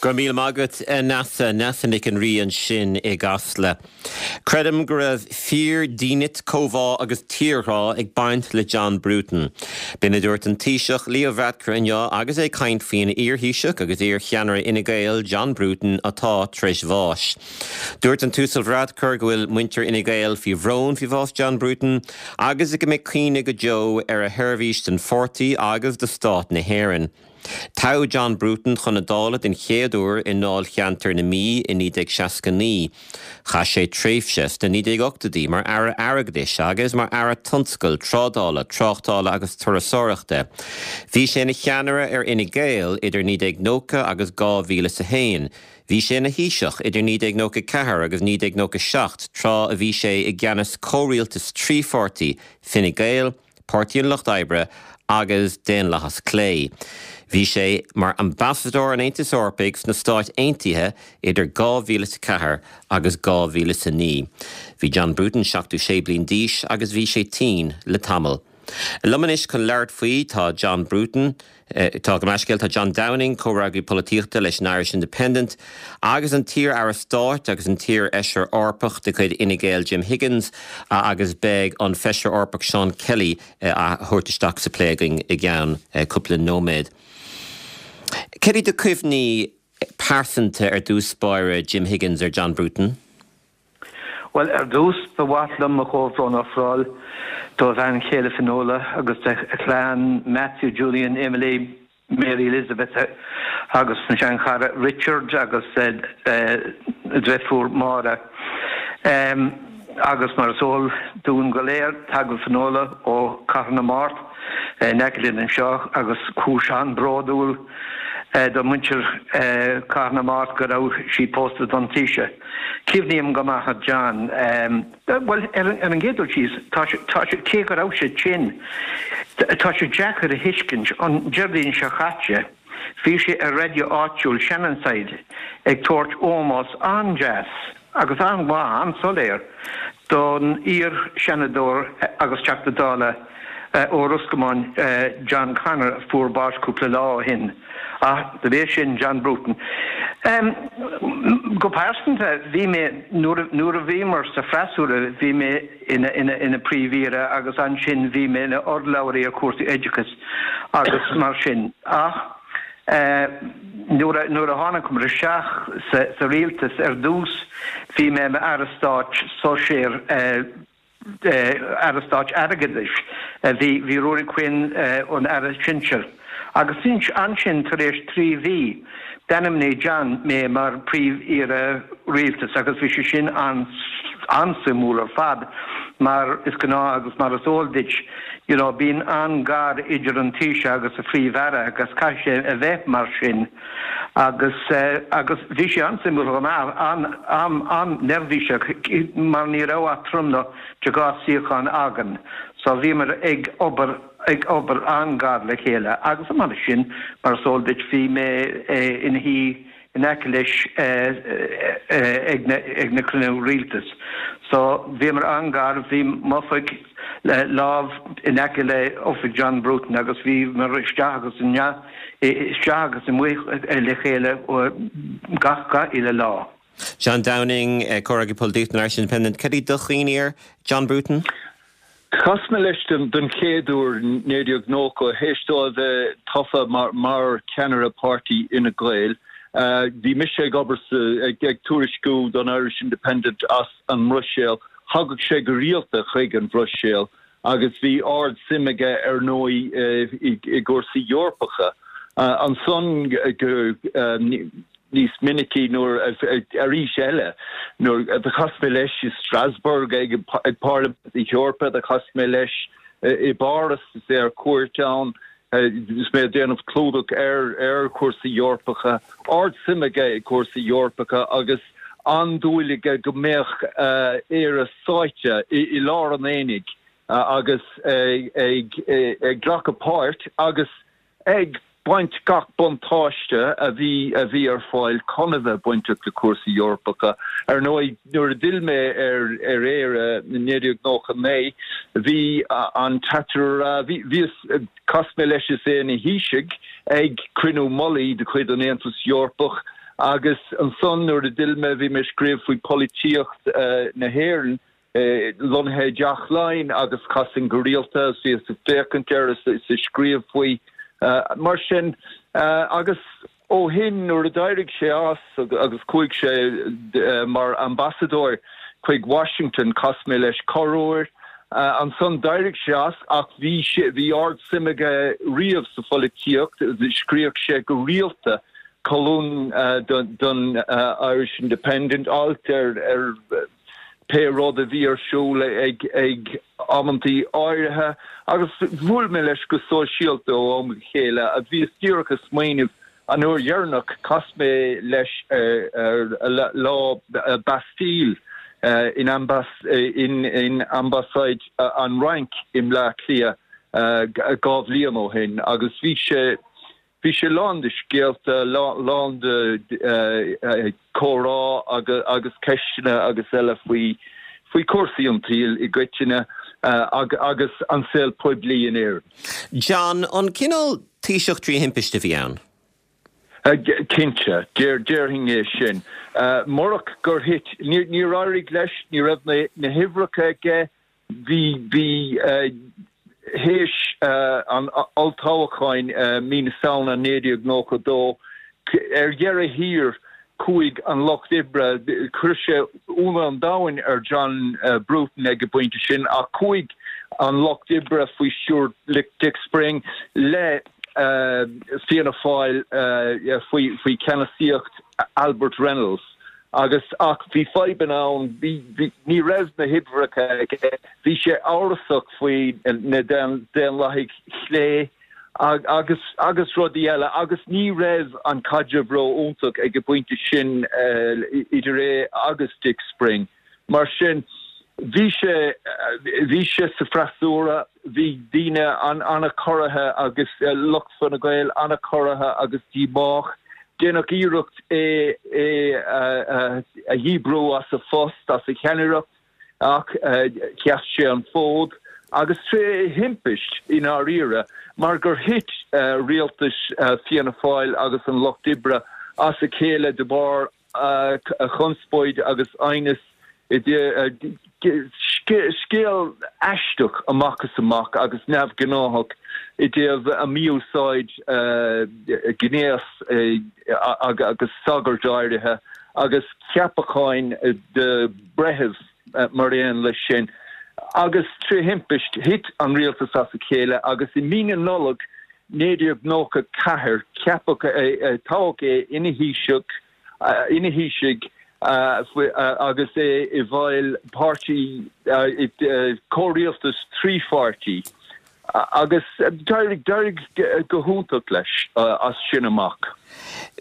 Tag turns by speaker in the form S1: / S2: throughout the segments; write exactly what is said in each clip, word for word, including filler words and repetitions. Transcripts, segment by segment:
S1: Go raibh míle maith agat Neasa Neasa Nic an Rí ansin i gCasla. Creidim go raibh fíor-dhínit comhbhá agus tírghrá ag baint le John Bruton. B'in a dúirt an Taoiseach Leo Varadkar inniu agus é ag caint faoin iarThaoiseach agus iarcheannaire Fhine Gael John Bruton atá tar éis bháis. Dúirt an tUasal Varadkar go bhfuil muintir Fhine Gael faoi bhrón faoi bhás John Bruton agus go mbeidh cuimhne go deo ar a sheirbhís don pháirtí agus do stát na hÉireann. Toghadh John Bruton chun na Dála den chéad uair i ndáilcheantar na Mí i naoi déag seasca naoi. Chaith sé tréimhse sna naoi déag ochtóidí mar aire airgeadais agus mar aire tionscail, trádála, tráchtála agus turasóireachta. Bhí sé ina cheannaire ar Fhine Gael idir naoi déag nócha agus dhá mhíle is a haon. Bhí sé ina Thaoiseach idir naoi déag nócha ceathair agus naoi déag nócha seacht tráth a bhí sé i gceannas comhrialtas trí pháirtí Fine Gael, Páirtí an Lucht Oibre agus Daonlathas Clé. Bhí sé mar ambasadóir an Aontais Eorpaigh sna Stáit Aontaithe idir dhá mhíle is a ceathair agus dhá mhíle is a naoi. Bhí John Bruton seachtó sé bliain d'aois agus bhí sé tinn le tamall. Liom anois chun labhairt faoi tá John Bruton, Tá go meiscéil tá John Downing comhfhreagraí polaitíochta leis an Irish Independent, agus an t-iar-aire stáit agus an t-iarfheisire Eorpach de chuid Fhine Gael Jim Higgins agus beidh an feisire Eorpach Sean Kelly á thabhairt isteach sa plé againn i gceann cúpla nóiméad. Cad iad do chuimhní pearsanta ar dtús báire Jim Higgins ar John Bruton?
S2: Well ar dtús ba mhaith liom mo chomhbhrón a ofráil dá bhean chéile Finola agus a chlann Matthew, Julian, Emily, Mary Elizabeth agus an seanchara Richard agus a deirfiúr Máire. Um, agus mar is eol dúinn go léir tagann Finola ó Cathair na Mart in aice linn anseo agus cúis an-bhródúil do mhuintir Cathair na Mart go raibh sí pósta don Taoiseach. Cuimhním go maith John um, well ar an gcéad dul síos tá cé go raibh sé tinn tá sé deacair a thuiscint an Déardaoin seo caite bhí sé ar raidió áitiúil Shannonside ag tabhairt ómós an-deas agus an-mhaith an-soiléir don iar-Seanadóir agus Teachta Dála ó Ros Comáin John Connor fuair bás cúpla lá ó shin. Ah, de bhé sin John Bruton. Um, go pearsanta bhí mé nuair a bhíomar sa freasúra bhí mé ina, ina, ina príomh-aire agus ansin bhí mé ina urlabhraí ar chúrsaí oideachais agus mar sin. Ach uh, nuair a tháinig mar isteach sa, sa rialtas ar dtús bhí mé mar aire stáit sóisear uh, aire stáit airgeadais bhí bhí Ruairí Quinn an aire sinsir. Agus sin ansin tar éis trí mhí d'ainmnigh John mé mar príomh-aire rialtas agus bhí sé sin an an-suimiúil ar fad mar is gnáth agus mar is eol duit you know, bíonn an-ghar idir an Taoiseach agus a phríomh-aire agus caithfidh sé a bheith mar sin agus uh, agus bhí sé an-suimiúil an an an-neirbhíseach mar ní raibh ach tromlach de dhá shuíochán againn so bhíomar ag obair ag obair an-ghar le chéile agus mar sin mar is eol duit bhí mé ina shuí in aice leis ag na cruinnithe rialtais. So bhíomar an-ghar bhí m'oifig le lámh in aice le oifig John Bruton agus bhíomar isteach agus isteach agus amuigh le chéile gach gach uile lá.
S1: John Downing comhfhreagraí polaitíochta Irish Independent, cad iad do chuimhní ar John Bruton?
S3: Chas mé leis den den chéad uair naoi déag nócha théis dó a bheith tofa mar, mar ceannaire páirtí Fhine Gael. Uh, bhí mise ag obair ag, ag tuairisciú don Irish Independent as an mBruiséil, thagadh sé go rialta chuig an Bhruiséil agus bhí ard-suim aige ar ndóigh uh, i, i gcúrsaí Eorpacha. Uh, ansan go uh, níos minicí nuair arís eile nuair a chas mé leis i Strasbourg ag ag Parlaimint na hEorpa a chas mé leis i bPáras is é ar cuairt ann is mé déanamh clúdach ar ar chúrsaí Eorpacha, ard-suim aige i gcúrsaí Eorpacha agus an-dúil aige go mbeadh Éire sáite i, i lár an aonaigh agus ag ag ag glacadh páirt agus ag baint gach buntáiste a bhí a bhí ar fáil chun a bheith bainteach le cúrsaí Eorpacha. Ar ndóigh nuair a d'fhill mé ar ar Éire naoi déag nócha naoi, bhí an t-aire bhí chas mé leis is é ina Thaoiseach ag cruinniú mullaigh de chuid an Aontas Eorpach Agus ansan nuair a d'fhill mé bhí mé ag scríobh faoi polaitíocht na hÉireann lonnaithe i dTeach Laighean agus chasainn go rialta is bhíos ag féachaint air is ag scríobh faoi mar sin agus ó shin nuair a d'éirigh sé as agus chuaigh sé mar ambasadóir chuig Washington chas mé leis corruair. Ansan d'éirigh sé as ach bhí sé bhí ard-suim aige riamh sa pholaitíocht, scríobhadh sé go rialta colún don Irish Independent, alt ar ar pé rud a bhí ar siúl ag ag amantaí áirithe agus bhuail mé leis go sóisialta ó am go chéile a bhíos díreach ag smaoineamh an uair dheireanach chas mé leis ar lá Bastille in in in ambasáid an Fhrainc i mBleá Cliath dhá bhliain ó shin agus bhí sé Bhí sé lán de scéalta, lán de chomhrá agus ceisteanna agus eile faoi faoi chúrsaí an tsaoil i gcoitinne agus an saol poiblí in Éirinn.
S1: John, an cineál Taoiseach trí thimpiste a bhí ann?
S3: Cinnte, déarfainn é sin. Murach gur thit, níor éirigh leis, ní raibh na huimhreacha aige, bhí, bhí, Théis an olltoghcháin mí na Samhna naoi déag nócha dó, ar dheireadh thiar, chuaigh an Lucht Oibre, chuir sé ionadh an domhain ar John Bruton ag an bpointe sin, ach chuaigh an Lucht Oibre faoi stiúir Dick Spring le Fianna Fáil faoi cheannasaíocht Albert Reynolds. Agus, ach bhí fadhbanna ann, bhí, bhí, ní raibh na huimhreacha aige, bhí sé amhrasach faoi na Daonlathaigh chlé agus, agus rudaí eile, agus ní raibh an caidreamh ró-iontach ag an bpointe sin idir é agus Dick Spring. Mar sin, bhí sé, bhí sé sa freasúra, bhí daoine an-chorraithe agus lucht Fine Gael an-chorraithe agus díomách. Déanadh iarracht é a dhíbriú as a phost, as a cheannaireacht, ach sheas sé an fód, agus tré thimpist i ndáiríre, mar gur thit rialtais Fianna Fáil agus an Lucht Oibre as a chéile de bharr chonspóid agus aighneas Scéal aisteach amach is amach agus neamhghnáthach i dtaobh a mí-úsáid gnéas agus sagairt áirithe agus ceapacháin de bhreithimh mar aon leis sin. Agus tré thimpist thit an rialtas as a chéile agus i mí na Nollag naoi déag nócha ceathair ceapadh é, toghadh é ina Thaoiseach, ina Thaoiseach agus é i bhfeighil páirtí, comhrialtas trí pháirtí agus d'éirigh, d'éirigh go hiontach leis as sin amach.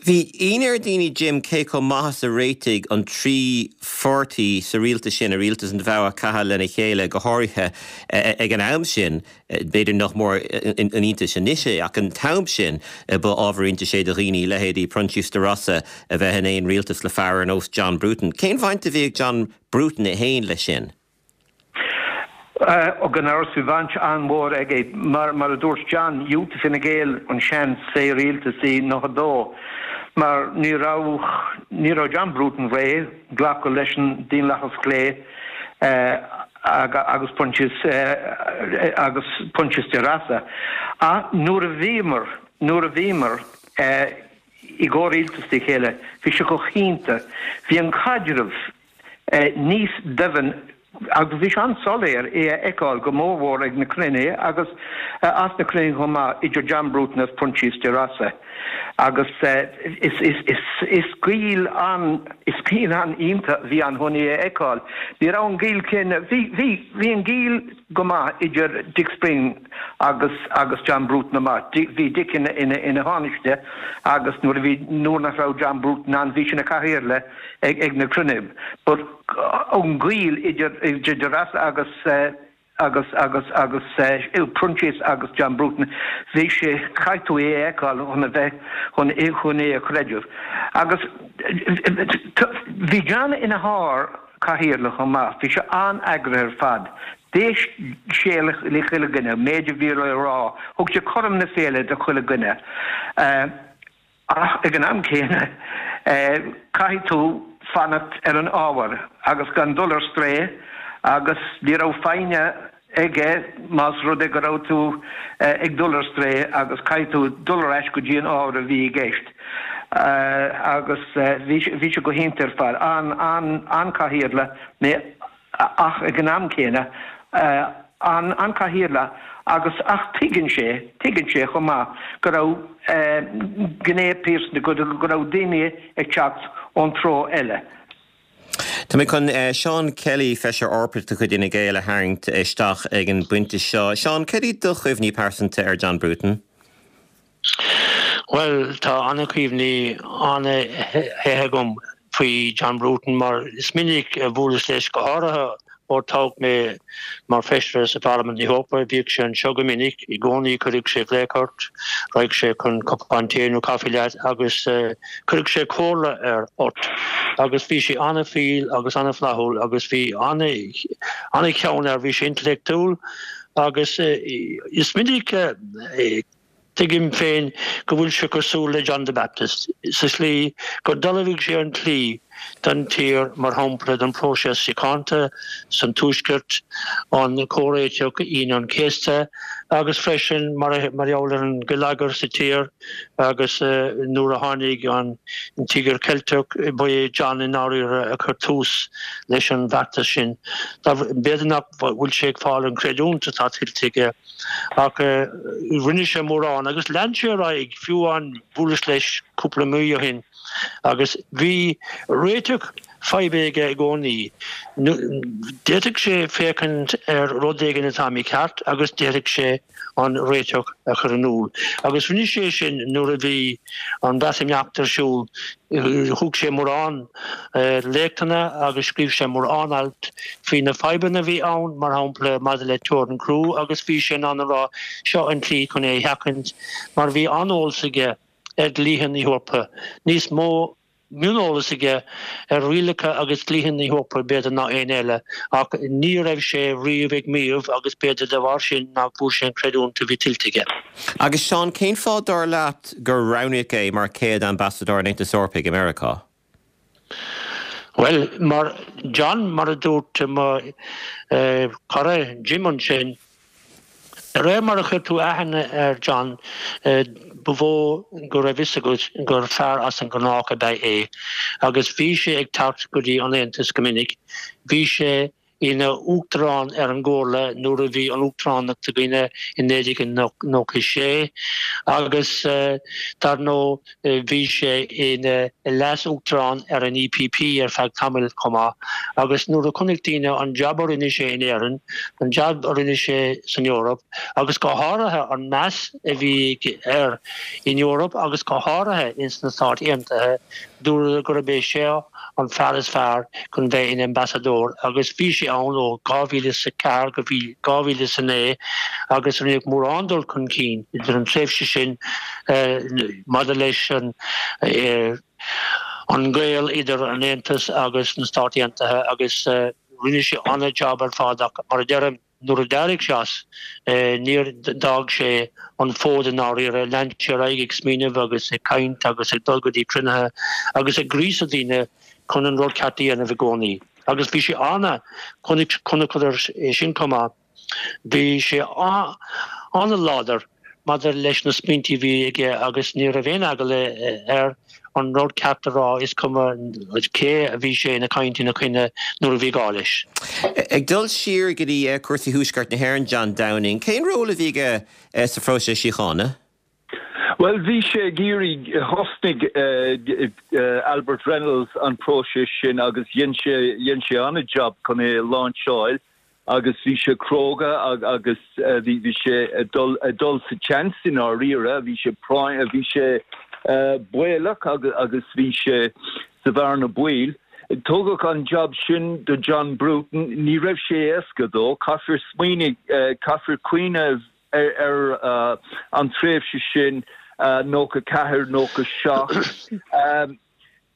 S1: Bhí ionadh ar dhaoine, Jim, cé chomh maith is a réitigh an trí pháirtí sa rialtas sin, i rialtas an bhogha ceatha lena chéile, go háirithe ag an am sin. B'fhéidir nach mór an iontas anois é, ach an t-am sin ba ábhar iontais é do dhaoine, leithéidí Proinsias De Rossa, a bheith in aon rialtas le fear ar nós John Bruton. Cén bhaint a bhí ag John Bruton é féin leis sin?
S2: Ó gan amhras bhí baint an-mhór aige. Mar mar a dúirt John, dhiúltaigh Fine Gael an seans sa rialtas i nócha dó mar ní raibh ní raibh John Bruton réidh glacadh leis an Daonlathas Clé. agus Proinsias agus Proinsias De Rossa. Ach nuair a bhíomar, nuair a bhíomar i gcomhrialtas le chéile, bhí sé go hiontach. Bhí an caidreamh níos doimhne agus bhí sé an-soiléir é a fheiceáil go mórmhór ag na cruinnithe agus as na cruinnithe chomh maith idir John Bruton agus Proinsias De Rossa. Agus is gaol an, is gaol an-iontach a bhí ann chun é a fheiceáil. Ní raibh an gaol céanna, bhí, bhí, bhí an gaol go maith idir Dick Spring agus, agus John Bruton amach. Bhí Dick ina, ina, ina Thánaiste agus nuair a bhí, nuair nach raibh John Bruton ann bhí sé ina chathaoirleach ag, ag na cruinnithe. But an gaol idir, idir De Rossa agus, agus agus agus Proinsias agus John Bruton, bhí sé, caithfidh tú é a fheiceáil chun a bheith, chun é, chun é a chreideamh. Agus bhí John ina shár-chathaoirleach chomh maith, bhí sé an-eagraithe ar fad. D'éist sé le chuile dhuine, méid a bhí le rá, thug sé cothrom na féinne do chuile dhuine. Ach ag an am céanna, Caithfidh tú fanacht ar an ábhar agus gan dul ar strae agus ní raibh foighne aige más rud é go raibh tú ag dul ar strae agus caithfidh tú dul ar ais go dtí an ábhar a bhí i gceist. Agus bhí sé go hiontach ar fad, an-chathaoirleach ach ag an am céanna an-chathaoirleach agus ach tuigeann sé, tuigeann sé chomh maith go raibh gné pearsanta, go raibh daoine ag teacht ón treo eile.
S1: Tá mé chun Seán Kelly, Feisire Eorpach de chuid Fhine Gael, a tharraingt isteach ag an bpointe seo. Seán, cad iad do chuimhní pearsanta ar John Bruton?
S4: Bhuel, tá an-chuimhní an-mhaithe agam faoi John Bruton mar is minic a bhuaileas leis, go háirithe ó toghadh mé mar Feisire sa Pharlaimint na hEorpa. Bhíodh sé anseo go minic, i gcónaí cuireadh sé glaoch ort, raghadh sé chun cupán tae nó caife leat agus cuireadh sé comhairle ar ort agus bhí sé an-fhial agus an-fhlaithiúil agus bhí an-cheann air, bhí sé intleachtúil agus is minic Tuigim féin go bhfuil sé cosúil le John the Baptist sa slí gur d'ullmhaigh sé an tslí don tír, mar shampla don phróiseas síochánta san Tuaisceart, an comhréiteach Aoine an Chéasta agus freisin mar gheall ar an geilleagar sa tír agus nuair a tháinig an Tíogar Ceilteach ba é John i ndáiríre a chuir tús leis an bhfeachtas sin. B'fhéidir nach bhfuil sé ag fáil an chreidiúint atá tuillte aige. Ach rinne sé mórán agus lean sé ar aghaidh, fiú amháin bhuaileas leis cúpla mí ó shin agus bhí réiteach faidhbe aige i gcónaí. D'fhéadfadh sé féachaint ar rud éigin atá mícheart agus d'fhéadfadh sé an réiteach a chur in iúl. Agus rinne sé sin nuair a bhí an Bhreatimeacht ar siúl. Thug sé mórán léachtanna agus scríobh sé mórán alt faoi na fadhbanna a bhí ann, mar shampla maidir le teorainn chrua agus bhí sé in ann a rá seo an tslí chun é a sheachaint mar bhí an-eolas aige ar dhlíthe na hEorpa, níos mó mioneolas aige ar rialacha agus dlíthe na hEorpa b'fhéidir ná éinne eile ach ní raibh sé riamh ag maíomh agus b'fhéidir de bharr sin nach bhfuair sé an chreidiúint a bhí tuillte aige.
S1: Agus Seán, cén fáth dar leat gur roghnaíodh é mar chéad Ambasadóir an Aontais Eorpaigh i Meiriceá?
S4: Bhuel, mar John, mar a dúirt mo chara Jim ansin, de réir mar a chuir tú aithne ar John, ba mhó go raibh fhios agat gur fear as an ngnách ab ea é. Agus bhí sé ag teacht go dtí an Aontas go minic. Bhí sé ina Uachtarán ar an gComhairle nuair a bhí an Uachtaránacht againne i naoi déag nócha a sé agus dar ndóigh bhí sé ina Leas-Uachtarán ar an EPP ar feadh tamaill chomh maith agus nuair a chonaic daoine an jab a rinne sé in Éirinn, an jab a rinne sé san Eoraip agus go háirithe an meas a bhí air in Eoraip agus go háirithe ins na Stáit Aontaithe, Dúradh gurb é seo an fear is fearr chun bheith ina ambasadóir agus bhí sé ann ó dhá mhíle is a ceathair go dhá mhíle is a naoi agus rinneadh mórán dul chun cinn idir an tréimhse sin maidir leis an an gaol idir an Aontas agus na Stáit Aontaithe agus rinne sé an-jab ar fad ach mar a deirim, Nuair a d'éirigh sé as, níor d'fhág sé an fód i ndáiríre, lean sé ar aghaidh ag smaoineamh agus ag caint agus ag dul go dtí cruinnithe agus ag gríosadh daoine chun an rud ceart a dhéanamh i gcónaí. Agus bhí sé ana, chonaiceadar é sin chomh maith, bhí sé ana-láidir maidir leis na smaointe a bhí aige agus ní raibh aon eagla air an rud ceart a rá, is cuma cé a bhí sé ina caint ina choinne nuair a bhí gá leis.
S1: Ag dul siar go dtí cúrsaí Thuaisceart na hÉireann, John Downing, cén ról a bhí aige sa phróiseas síochána?
S3: Bhuel, bhí sé ag iarraidh, thosnaigh Albert Reynolds an próiseas sin agus dhein sé, dhein sé an-jab chun é a láinseáil. agus bhí sé cróga agus bhí sé ag dul ag dul sa tseans i ndáiríre, bhí sé práinn, bhí sé baolach agus bhí sé sa bhearna baoil. Tugadh an jab sin do John Bruton, ní raibh sé éasca dó, caithfear smaoineamh, caithfear cuimhneamh ar an tréimhse sin, nócha ceathair, nócha seacht.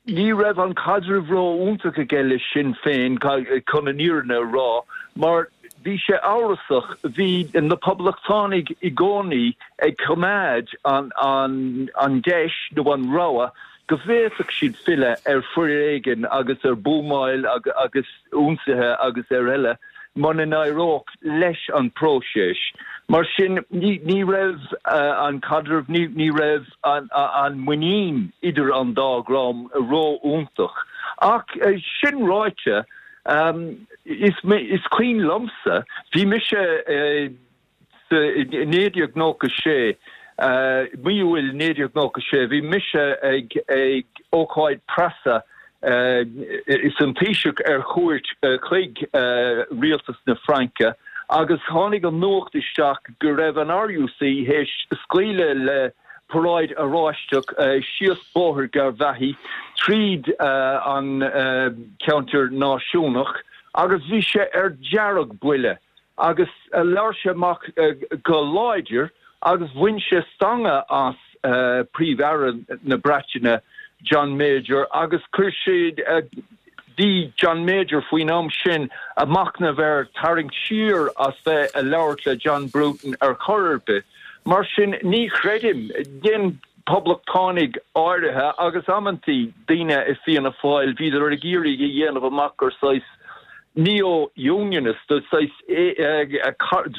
S3: Ní raibh an caidreamh ró-iontach aige le Sinn Féin, chun an fhírinne a rá, mar bhí sé amhrasach. Bhí na Poblachtánaigh i gcónaí ag coimeád an deis nó an rogha go bhféadfadh siad filleadh ar foréigean agus ar buamáil agus ionsaithe agus ar eile muna n-éireodh leis an próiseas. Mar sin ní raibh an caidreamh, ní raibh an muinín idir an dá dhream ró-iontach. Ach sin ráite, is cuimhin liomsa, bhí mise i naoi déag nócha sé, mí Iúil naoi déag nócha sé, bhí mise ag ócáid preasa is an Taoiseach ar chuairt chuig rialtas na Fraince agus tháinig an nuacht isteach go raibh an RUC théis scaoileadh le paráid Oráisteach síos Bóthar Garvaghy tríd an ceantar náisiúnach agus bhí sé ar dearg-bhuile agus labhair sé amach go láidir agus bhain sé stangadh as Príomh-Aire na Breataine John Major agus chuir sé bhí John Major faoin am sin ag machnamh ar tarraingt siar as bheith ag labhairt le John Bruton ar chor ar bith. Mar sin ní chreidim, dhein poblachtánaigh áirithe agus amantaí daoine i Fianna Fáil, bhíodar ag iarraidh a dhéanamh amach gur saghas neo-unionist, saghas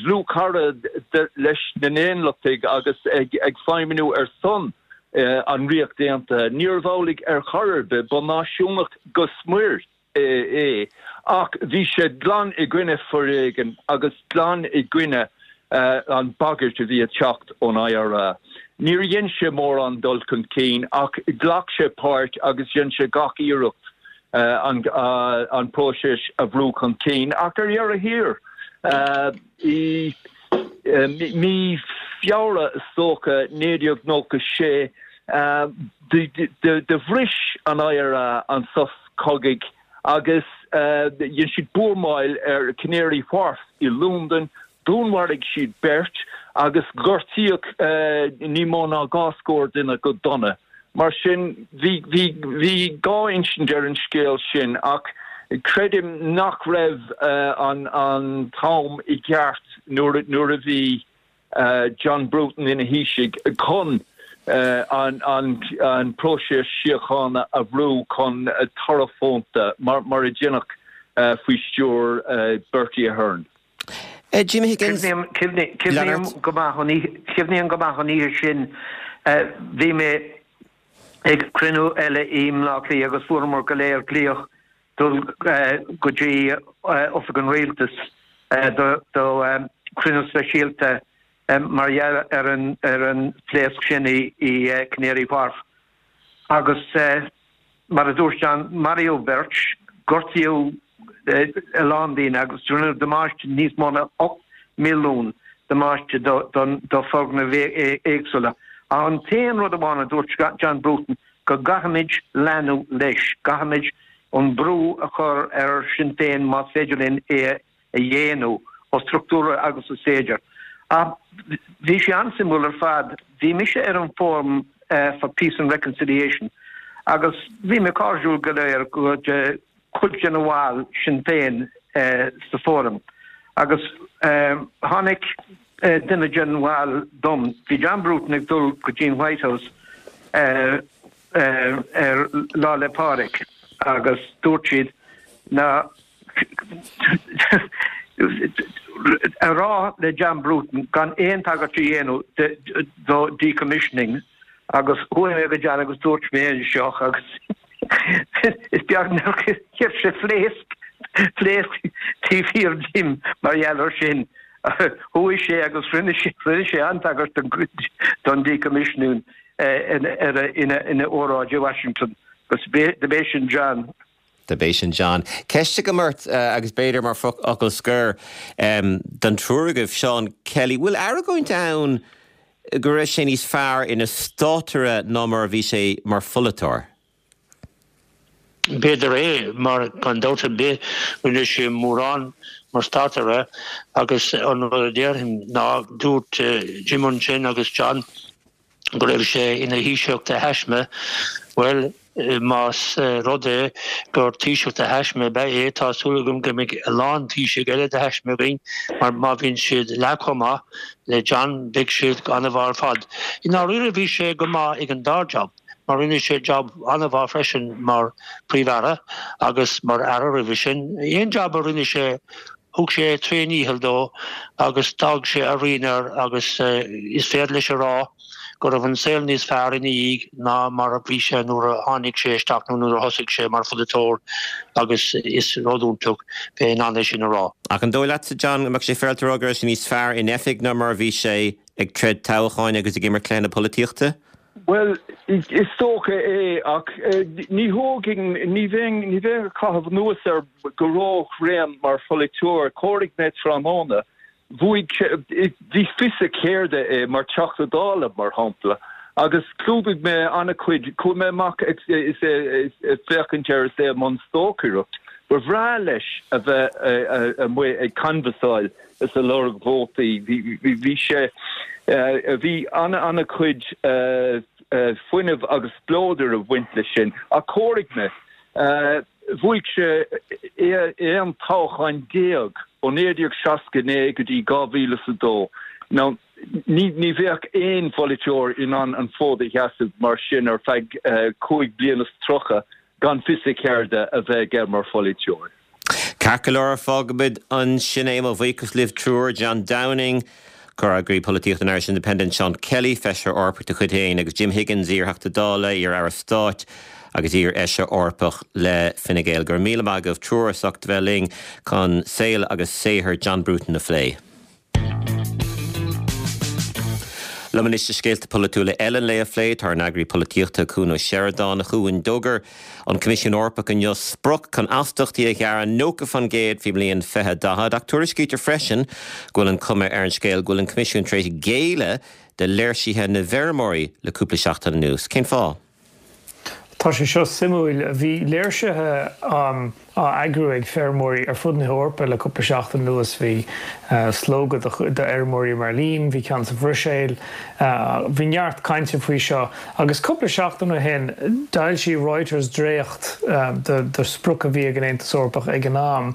S3: dlúthchara leis na nAondachtaigh agus ag feidhmiú ar son an Ríocht Aontaithe. Níorbh amhlaidh ar chor ar bith, ba náisiúnach go smior é ach bhí sé glan i gcoinne foréigean agus glan i gcoinne an bagairt a bhí ag teacht ón IRA. Níor dhein sé mórán dul chun cinn ach ghlac sé páirt agus dhein sé gach iarracht an próiseas a bhrú chun cinn ach ar dheireadh thiar i mí Feabhra is dócha naoi déag nócha sé do bhris an IRA an sos cogaidh agus dhein siad buamáil ar Canary Wharf i Londain, dúnmharaigh siad beirt agus gortaíodh ní mó ná dhá scór duine go dona. Mar sin, bhí bhí dhá insint ar an scéal sin ach creidim nach raibh an an t-am i gceart nuair nuair a bhí John Bruton ina Thaoiseach chun an an an próiseas síochána a bhrú chun toradh fónta mar mar a deineadh faoi stiúir Bertie Ahern.
S1: Jimmy Higgins.
S2: Cuimhním go maith cuimhním go maith an oíche sin bhí mé ag cruinniú eile i mBleá Cliath agus fuaireamar go léir glaoch dul go dtí Oifig an Rialtais do chruinniú speisialta mar gheall ar an ar an phléasc sin i i Canary Wharf. Agus mar a dúirt John, maraíodh beirt, gortaíodh a lán daoine agus rinneadh damáiste níos mó ná ocht milliún damáiste do do foirgnimh éagsúla. An t-aon rud amháin a dúirt John Bruton go gcaithfimid leanúint leis, gcaithfimid an brú a chur ar Sinn Féin más féidir linn é a dhéanamh ó struchtúra agus is féidir. Bhí sé an-suimiúil ar fad, bhí mise ar an Forum for Peace and Reconciliation agus bhí mé cairdiúil go léir go cuid de na bhaill Sinn Féin sa Fóram agus tháinig duine den bhaill dom, bhí John Bruton ag dul go dtí an White House ar Lá 'le Pádraig agus dúirt siad na a rá le John Bruton gan aon tagairt a dhéanamh do decommissioning agus chuaigh mé go John agus dúirt mé anseo agus is beag nár chuir sé phléasc phléasc taobh thiar díom mar gheall air sin. Chuaigh sé agus rinne sé rinne sé an-tagairt don decommissioning ina óráid i Washington agus dob é sin John.
S1: Dob é sin John. Ceist agam ort agus b'fhéidir mar fhocal scoir don triúr agaibh Seán Kelly, bhfuil argóint ann go raibh sé níos fearr ina státaire ná mar a bhí sé mar pholaiteoir?
S4: B'fhéidir é mar gan dabht ar bith rinne sé mórán mar státaire agus an rud a déarfainn ná dúirt Jim ansin agus John go raibh sé ina Thaoiseach de thaisme, bhuel más rud é gur Taoiseach de thaisme ab ea é tá súil agam go mbeidh a lán Taoisigh eile de thaisme againn mar má bhíonn siad leath chomh maith le John beidh siad an-mhaith ar fad. I ndáiríre bhí sé go maith ag an dá job. mar rinne sé job an-mhaith freisin mar Phríomh-Aire agus mar Aire roimhe sin. Aon job a rinne sé thug sé tréandícheall dó agus d'fhág sé a rian air agus is féidir leis a rá go raibh an saol níos fearr ina dhiaidh ná mar a bhí sé nuair a tháinig sé isteach nó nuair a thosaigh sé mar pholaiteoir agus is rud iontach bheith in ann é sin a rá.
S1: Ach an dóigh leatsa, John, go mbeadh sé féaráilte a rá go raibh sé níos fearr in oifig ná mar a bhí sé ag troid toghcháin agus ag imirt cluiche na polaitíochta?
S3: Bhuel, is dócha é ach ní thógfainn, ní bheinn, ní bheinn ag caitheamh anuas air go róthréan mar pholaiteoir. Chomhair mé tráthnóna, bhuaigh sé, bhí fios a cheirde é mar Teachta Dála, mar shampla, agus chlúdaigh mé an-chuid, chuaigh mé amach ag is é ag féachaint air is é i mbun stocaireacht. Ba bhreá leis a bheith amuigh ag canbhasáil is ag lorg vótaí. Bhí sé, bhí an-chuid fuinnimh agus spleodair ag baint leis sin. Ach chomhair mé, bhuaigh sé aon toghchán déag ó naoi déag seasca naoi go dtí dhá mhíle is a dó. Now, ní ní bheadh aon pholaiteoir in ann an fód a sheasamh mar sin ar feadh cúig bliana is tríocha gan fios a cheirde a bheith aige mar pholaiteoir.
S1: Ceart go leor, fágfaimid ansin é. Mo bhuíochas libh triúr, John Downing, Comhfhreagraí Polaitíochta an Irish Independent, Seán Kelly, Feisire Eorpach de chuid Fhéin, agus Jim Higgins, iar-Theachta Dála, iar-Aire Stáit agus iar-Fheisire Eorpach le Fine Gael. Go raibh míle maith agaibh triúr as ucht bheith linn chun saol agus saothar John Bruton a phlé. Liom anois le scéalta polaitiúla eile an lae a phlé, tá ár n-eagraí polaitíochta Cuan Ó Seireadáin. A Chuain, d'fhógair an Coimisiún Eorpach inniu sprioc chun astaíochtaí a ghearradh nócha faoin gcéad faoin mbliain fiche daichead ach tuairiscítear freisin go bhfuil an chuma ar an scéal go bhfuil an Coimisiún tar éis géilleadh do léirsithe na bhfeirmeoirí le cúpla seachtain anuas. Cén fáth?
S5: Tá sé seo suimiúil. Bhí léirsithe á eagrú ag feirmeoirí ar fud na hEorpa le cúpla seachtain anuas. Bhí slógadh d'fheirmeoirí i mBeirlín, bhí ceann sa Bhruiséil, bhí neart cainte faoi seo. Agus cúpla seachtain ó shin, d'fhoilsigh Reuters dréacht de sprioc a bhí ag an Aontas Eorpach ag an am.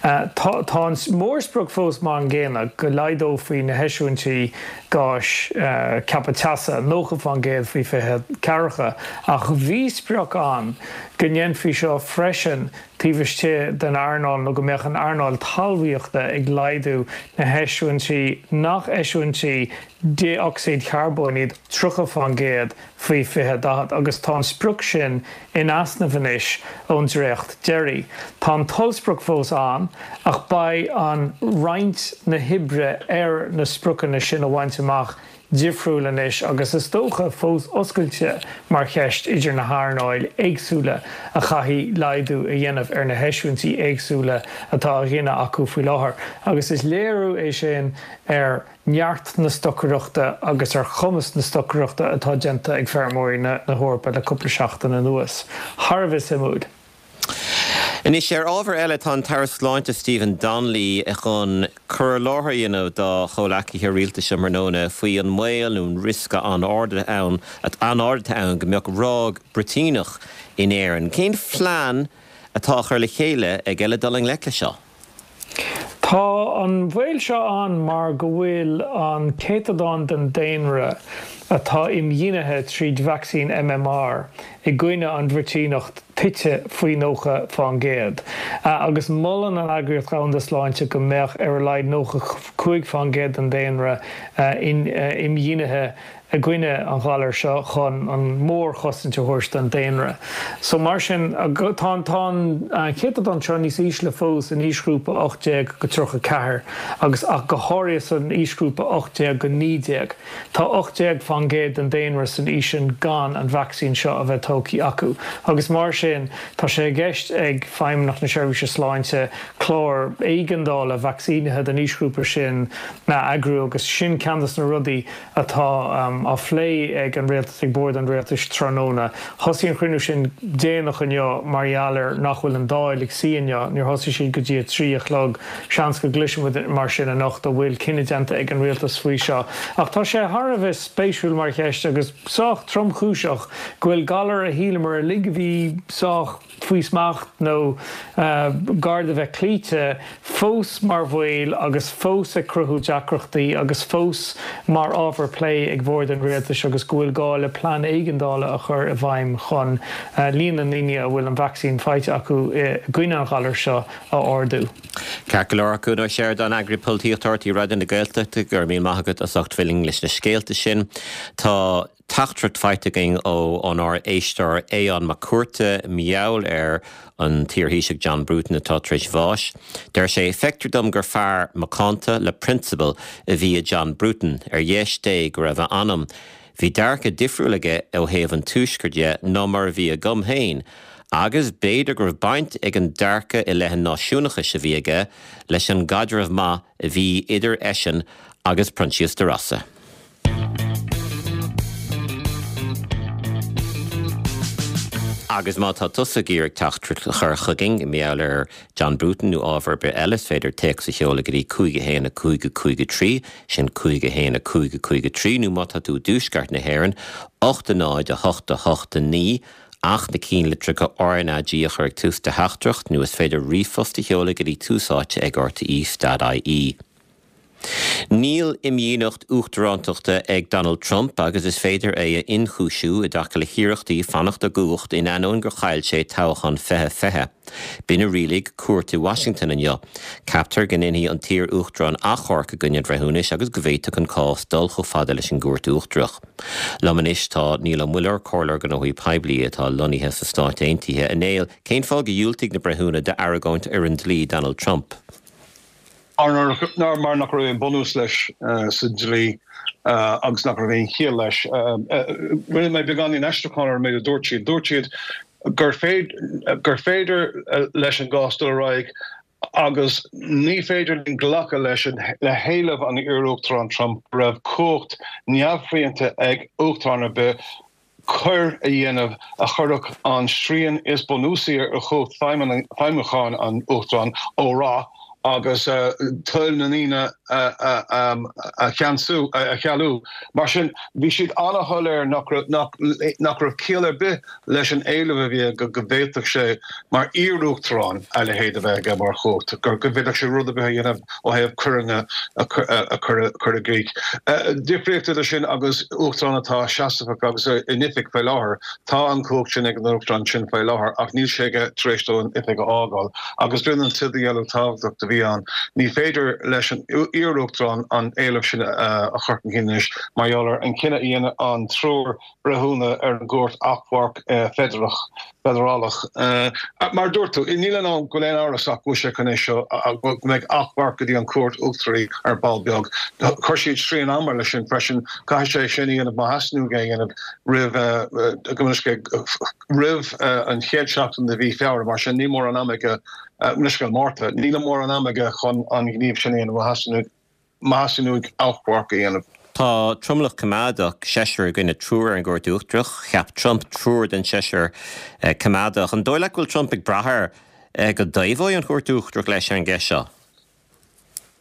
S5: Tá an mórsprioc fós mar an gcéanna, go laghdófaí na heisiúintí gáis ceaptha teasa nócha faoin gcéad faoi fiche ceathracha, ach bhí sprioc ann go ndéanfaí seo freisin taobh istigh den earnáil nó go mbeadh an earnáil talmhaíochta ag laghdú na heisiúintí nach eisiúintí dé-ocsaíd charbóin iad tríocha faoin gcéad faoi fiche daichead agus tá an sprioc sin in easnamh anois ón dréacht deiridh. Tá an t-ollsprioc fós ann ach beidh an roinnt na hoibre ar na spriocanna sin a bhaint amach difriúil anois agus is dócha fós oscailte mar cheist idir na hearnáil éagsúla a chaithfidh laghdú a dhéanamh ar na heisiúintí éagsúla atá á ghineadh acu faoi láthair agus is léiriú é sin ar neart na stocaireachta agus ar chumas na stocaireachta atá déanta ag feirmeoirí na hEorpa le cúpla seachtain anuas. Thar a bheith suimiúil.
S1: Anois ar ábhar eile, tá an tAire Sláinte Stephen Donnelly chun cur i láthair a dhéanamh dá chomhleacaithe rialtais um thráthnóna faoi an mbaol nó an riosca an-ard ann an-ard atá ann go mbeadh ráig bruitíneach in Éirinn. Cén phlean atá á chur le chéile aige le dul i ngleic leis seo?
S5: Tá an baol seo ann mar go bhfuil an céatadán den daonra atá imdhíonithe tríd vacsaín M M R i gcoinne an bhruitíneacht tite faoi nócha fán gcéad, agus molann an Eagraíocht Dhomhanda Sláinte go mbeadh ar a laghad nócha cúig fán gcéad den daonra imdhíonithe i gcoinne an ghalair seo chun an mhórchosaint a thabhairt don daonra. So mar sin, tá an tá an céatadán seo níos ísle fós in aoisghrúpa ocht déag go tríocha ceathair agus ach go háirithe san aoisghrúpa ocht déag go naoi déag. Tá ocht déag fán gcéad den daonra san aois sin gan an vacsaín seo a bheith tógtha acu agus mar sin tá sé i gceist ag Feidhmeannacht na Seirbhíse Sláinte clár éigeandála vacsaínithe don aoisghrúpa sin a eagrú agus sin ceann de na rudaí atá á phlé ag an Rialtas, ag Bord an Rialtais tráthnóna. Thosaigh an cruinniú sin déanach inniu mar gheall ar nach bhfuil an Dáil ag suí inniu. Níor thosaigh siad go dtí a trí a chlog. Seans go gcloisfidh muid mar sin anocht an bhfuil cinneadh déanta ag an Rialtas faoi seo. Ach tá sé thar a bheith spéisiúil mar cheist agus sách tromchúiseach go bhfuil galar a shíleamar uilig a bhí sách faoi smacht nó gar do bheith cloíte, fós mar bhaol agus fós ag cruthú deacrachtaí agus fós mar ábhar plé ag Bord an an rialtais agus go bhfuil gá le plean éigeandála a chur i bhfeidhm chun líon na ndaoine a bhfuil an vacsaín faighte acu i gcoinne an ghalair seo a ardú.
S1: Ceart go leor, Cuan Ó Seireadáin, Eagraí Polaitíochta R T É Raidió na Gaeltachta, go raibh míle maith agat as ucht bheith linn leis na scéalta sin. Tá teachtaireacht faighte againn ó ónár éisteoir Aodhán Mac Cuarta mar gheall ar an t-iarThaoiseach John Bruton atá tar éis bháis. Deir sé feictear dom gur fear macánta le prionsabail a bhí i John Bruton ar dheis Dé go raibh a anam. Bhí dearcadh difriúil aige ó thaobh an tuaiscirt de ná mar a bhí agam féin, agus b'fhéidir go raibh baint ag an dearcadh i leith an náisiúnachais a bhí aige leis an gcaidreamh maith a bhí idir eisean agus Proinsias de Rossa. Agus má tá tusa ag iarraidh teachtaireacht a chur chugainn mar gheall ar John Bruton nó ábhar ar bith eile, is féidir téacs a sheoladh go dtí cúig a haon a cúig a cúig a trí, sin cúig a haon a cúig a cúig a trí, nó má tá tú i dtuaisceart na hÉireann, ocht a náid a hocht a hocht a naoi, ach na ceannlitreacha R N A G a chur ag tús do theachtaireacht, nó is féidir ríomhphost a sheoladh go dtí tús áite ag R T E dot I E. Níl imdhíonacht uachtarántachta ag Donald Trump agus is féidir é a ionchúisiú i dtaca le hiarrachtaí fanacht i gcumhacht in ainneoin gur chaill sé toghchán fiche fiche. B'in a rialaigh cúirt i Washington inniu. Ceaptar go ndéanfaidh an t-iar-uachtarán achomharc i gcoinne an bhreithiúnais agus go bhféadfadh an cás dul chomh fada leis an gcúirt uachtarach. Liom anois tá Niall Ó Muilleoir, comhairleoir gnóthaí poiblí atá lonnaithe sna Stáit Aontaithe. A Néill, cén fáth gur dhiúltaigh na breithiúna d'argóint fhoireann dlí Donald Trump?
S6: Mar mar nach raibh aon bunús leis sa dlí agus nach raibh aon chiall leis. Rinne mé beagáinín aistriúcháin ar an méid a dúirt siad. Dúirt siad gur gur féidir leis an gcás dul ar aghaidh agus ní féidir linn glacadh leis le héileamh an iar-uachtarán Trump go raibh cumhacht neamhshrianta ag uachtarán ar bith coir a dhéanamh a chuirfeadh an srian is bunúsaí ar chumhacht feidhmiúcháin an uachtaráin ó rath agus toil na ndaoine a cheansú, a chealú. Mar sin, bhí siad an-shoiléir nach raibh ciall ar bith leis an éileamh a bhí aige go bhféadfadh sé, mar iar-uachtarán, a leithéid a bheith aige mar chumhacht, go bhféadfadh sé rud ar bith a dhéanamh ó thaobh coireanna a chur i gcrích. Difríocht idir sin agus uachtarán atá seasmhach agus in oifig faoi láthair. Tá an chumhacht sin ag an uachtarán sin faoi láthair ach níl sé aige tar éis dó an oifig a fhágáil. Agus b'in an t-idirdhealú tábhachtach a bhí ann. Ní féidir leis an iar-uachtarán an éileamh sin a chur chun cinn anois mar gheall ar an cinneadh a dhéanamh an triúr breithiúna ar an gCúirt Achomhairc Feidearach, Feidearálach. Mar a dúirt tú, níl ann go bhfuil aon amhras ach go bhfuil sé chun é seo, go mbeidh achomharc go dtí an Chúirt Uachtaraí ar ball beag. Chuir siad srian ama leis sin freisin, caithfidh sé sin a dhéanamh má theastaíonn uaidh é a dhéanamh roimh, roimh an chéad seachtain de mhí Feabhra, mar sin níl mórán ama aige, leithscéal, Márta, níl mórán ama aige chun an gníomh sin a dhéanamh má theastaíonn má theastaíonn uaidh achomharc a dhéanamh.
S1: Tá tromlach coimeádach, seisear i gcoinne triúr ar an gCúirt Uachtarach. Cheap Trump triúr den seisear coimeádach. An dóigh leat go bhfuil Trump ag brath air go dtaobhóidh an Chúirt Uachtarach leis ar an gceist seo?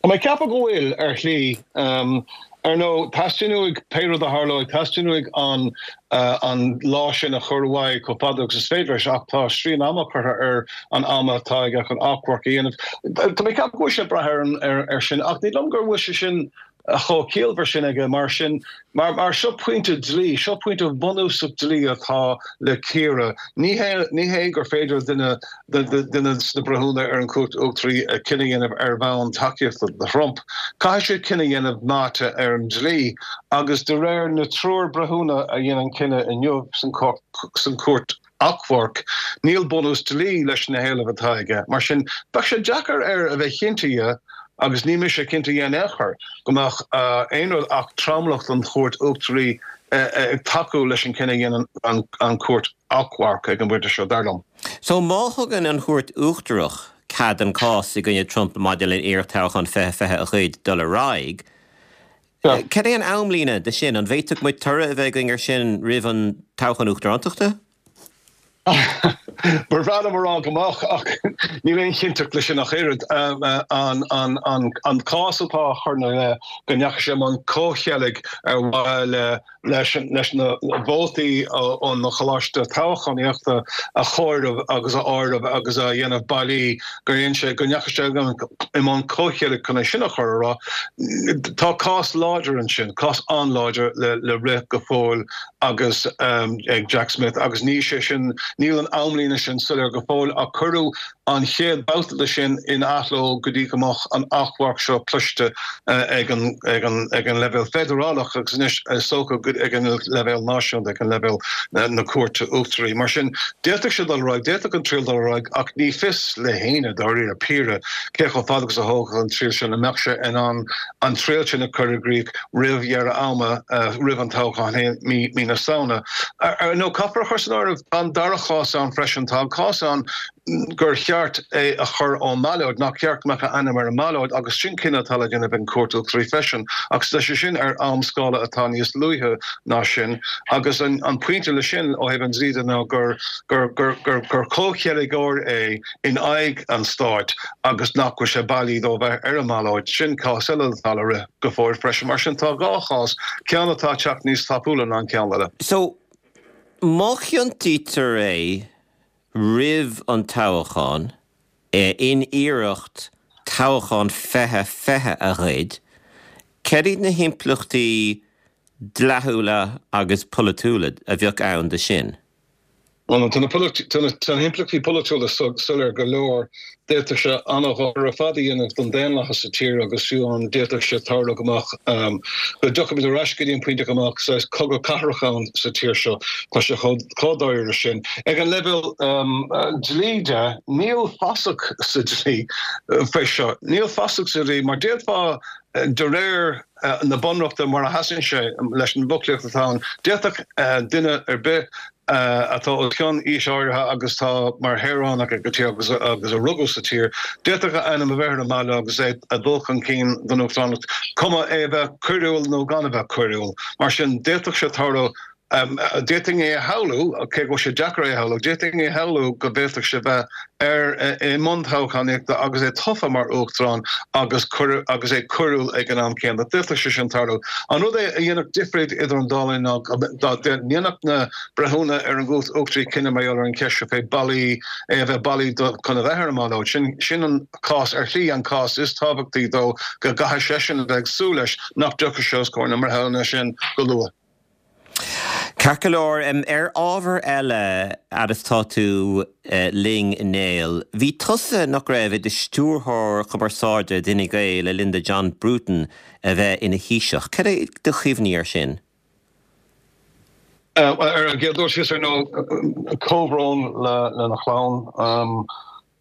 S6: Tá mé ag ceapadh go bhfuil, ar shlí. Ar ndóigh, teastaíonn uaidh, pé rud a tharlóidh, teastaíonn uaidh an an lá sin a chur uaidh chomh fada agus is féidir leis ach tá srian ama curtha ar an am atá aige chun achomharc a dhéanamh. Tá mé ag ceapadh go bhfuil sé ag brath ar an ar sin ach ní liom go bhfuil sé sin chomh ciallmhar sin aige mar sin mar mar seo pointe dlí, seo pointe bunúsach dlí atá le cíoradh. Ní hé ní hé gur féidir duine duine sna breithiúna ar an Chúirt Uachtaraí cinneadh a dhéanamh ar bhonn tacaíochta do Trump. Caithfidh siad cinneadh a dhéanamh meáite ar an dlí agus de réir na triúr breithiúna a dhein an cinneadh inniu san Chúirt Achomhairc, níl bunús dlí leis na héilimh atá aige. Mar sin, bheadh sé deacair air a bheith cinnte dhe, agus ní mise cinnte dhe in aon chor, go mbeadh aon rud ach tromlach den Chúirt Uachtaraí ag tacú leis an cinneadh a dhein an Chúirt Achomhairc ag an bpointe seo, dar liom.
S1: So má thugann an Chúirt Uachtarach cead an cás i gcoinne Trump maidir le iarracht toghchán fiche fiche a ghoid dul ar aghaidh, cad é an amlíne de sin? An bhféadfadh muid toradh a bheith againn ar sin roimh an toghchán uachtarántachta?
S6: Ba bhreá liom a rá go mbeadh ach níl aon chinnteacht leis sin ach oiread. An cás atá á chur ina leith go ndeachaigh sé i mbun comhcheilg ar mhaithe le leis na vótaí ón choláiste toghchánaíochta a chomhaireamh agus a áireamh agus a dhéanamh bailí gur dhein sé go ndeachaigh sé i mbun comhcheilg chun é sin a chur ar aghaidh. Tá cás láidir ansin, cás an-láidir le rith go fóill agus ag Jack Smith agus níl sé sin, níl an amlíne sin soiléir go fóill ach cuireadh an chéad babhta de sin in athló go dtí go mbeadh an achomharc seo cloiste ag an ag an ag an leibhéal feidearálach agus anois is dócha ag an leibhéal náisiúnta, ag an leibhéal na Cúirte Uachtaraí. Mar sin, d'fhéadfadh sé dul ar aghaidh, d'fhéadfadh an triail dul ar aghaidh ach ní fios le héinne dáiríre píre cé chomh fada agus a thógfadh an triail sin, an mbeadh sé in ann an triail sin a chur i gcrích roimh dheireadh ama, roimh an toghchán féin mí mí na Samhna. Ar ndóigh, caithfear a chur san áireamh, tá an dara chás ann freisin, tá an cás ann gur cheart é a chur ón mballóid, nach ceart go mbeadh a ainm ar an mballóid agus sin cinneadh atá le déanamh ag an Chúirt Uachtaraí freisin agus tá sé sin ar amscála atá níos luaithe ná sin agus an pointe leis sin ó thaobh an dlí de ná gur gur gur gur gur comhcheilgeoir é in aghaidh an stáit agus nach bhfuil sé bailí dó bheith ar an mballóid. Sin cás eile atá le rith go fóill freisin. Mar sin tá dhá chás, ceann atá ag teacht níos tapúla ná an ceann eile.
S1: So, má chiontaítear é roimh an toghchán, in iarracht toghchán fiche fiche a ghoid, céard iad na himpleachtaí dleathúla agus polaitiúla a bheadh ann de sin?
S6: Bhuel, tá na himpleachtaí polaitiúla soiléir go leor. D'fhéadfadh sé an-dhochar ar fad a dhéanamh don daonlathas sa tír agus fiú amháin d'fhéadfadh sé tarlú go mbeadh, go dtiocfaimid ar ais go dtí an pointe go mbeadh saghas cogadh cathrach ann sa tír seo. Tá sé chomh dáiríre sin. Ag an leibhéal dlí de, níl fasach sa dlí faoi seo. Níl fasach sa dlí mar d'fhéadfá, de réir na bunreachta mar a sheasann sé leis an bhfoclaíocht atá ann, d'fhéadfadh duine ar bith atá os cionn aois áirithe agus atá mar shaoránach ag an tír agus agus a rugadh sa tír, d'fhéadfadh a ainm a bheith ar an mballóid agus é ag dul chun cinn don uachtaránacht, cuma é a bheith coiriúil nó gan a bheith coiriúil. Mar sin, d'fhéadfadh sé tarlú, d'fhéadfainn é a shamhlú, cé go bhfuil sé deacair é a shamhlú, d'fhéadfainn é a shamhlú go bhféadfadh sé bheith ar i mbun toghchánaíochta agus é tofa mar uachtarán agus agus é coiriúil ag an am céanna. D'fhéadfadh sé sin tarlú. An rud é a dhéanfadh difríocht idir an dá linn ná dá ndéanfadh na breithiúna ar an gCúirt Uachtaraí cinneadh mar gheall ar an cheist seo fé bailí é a bheith bailí chun a bheith ar an mballóid. Sin sin an cás ar shlí an cás is tábhachtaí dó go gcaithfidh seisean a bheith ag súil leis nach dtiocfaidh sé os comhair na mbreithiúna sin go luath.
S1: Ceart go leor, ar ábhar eile, fhad is tá tú linn a Néill, bhí tusa, nach raibh, i do stiúrthóir cumarsáide d'Fhine Gael le linn do John Bruton a bheith ina Thaoiseach. Cad é do chuimhní air sin?
S6: Ar an gcéad dul síos, ar ndóigh, comhbhrón lena chlann